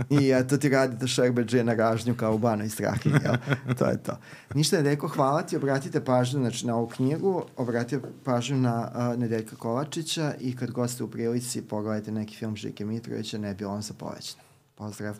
I to ti radite Šerbeđe na ražnju kao u Banoj Strahinji, jel? To je to. Ništa, Nedeljko, hvala ti. Obratite pažnju na ovu knjigu, obratite pažnju na Nedeljka Kovačića i kad goste u prilici pogledajte neki film Žike Mitrovića, ne bilo on sa povećan. Pozdrav.